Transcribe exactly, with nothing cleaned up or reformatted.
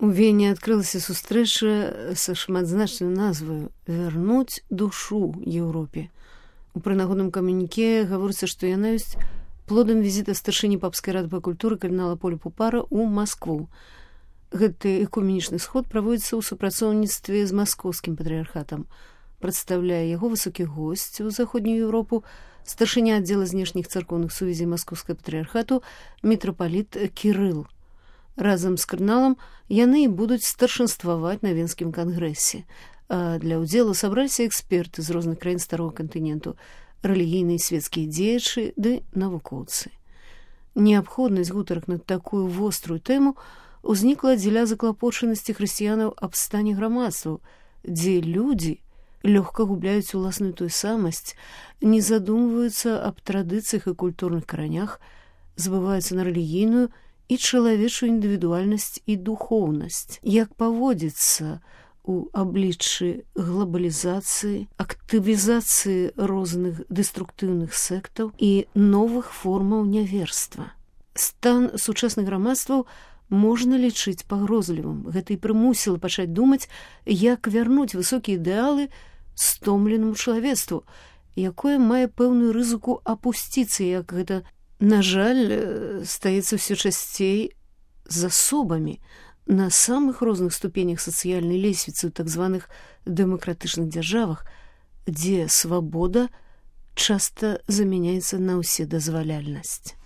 У Вене адкрылася сустрэча са шматзначнай назваю «Вярнуць душу Еўропе». У прынагодным камюніке гаворыцца, што яна ёсць плодам візіта старшыні папскай рады па культуры кардынала Поля Пупара ў Маскву. Гэты экуменічны сход праводзіцца ў супрацоўніцтве з маскоўскім патрыярхатам. Прадстаўляе яго высокі госць у заходнюю Еўропу, старшыня аддзела знешніх царкоўных сувязей маскоўскага патрыярхату мітрапаліт Кірыл. Разам з кардыналам яны і будуць старшынстваваць на Венскім кангрэсе. А для ўдзелу сабраліся эксперты з розных краін старога кантыненту, рэлігійныя і свецкія дзеячы ды навукоўцы. Неабходнасць гутарак на такую вострую тэму ўзнікла дзеля заклапочанасці хрысціянаў аб стане грамадстваў, дзе людзі лёгка губляюць уласную той самасць, не задумваюцца аб традыцыях і культурных каранях, забываюцца на рэлігійную і чалавечую індывідуальнасць і духоўнасць. Як паводзіцца у абліччы глобалізацыі, актывізацыі розных дэструктыўных сектаў і новых формаў няверства. Стан сучасных грамадстваў можна лічыць пагрозлівым. Гэта і прымусіла пачаць думаць, як вярнуць высокія ідэалы стомленаму чалавецтву, якое мае пэўную рызыку апусціцца, як гэта, на жаль, стаецца ўсё часцей з асобамі на самых розных ступенях сацыяльнай лесвіцы ў так званых дэмакратычных дзяржавах, дзе свабода часта замяняецца на ўседазваляльнасць.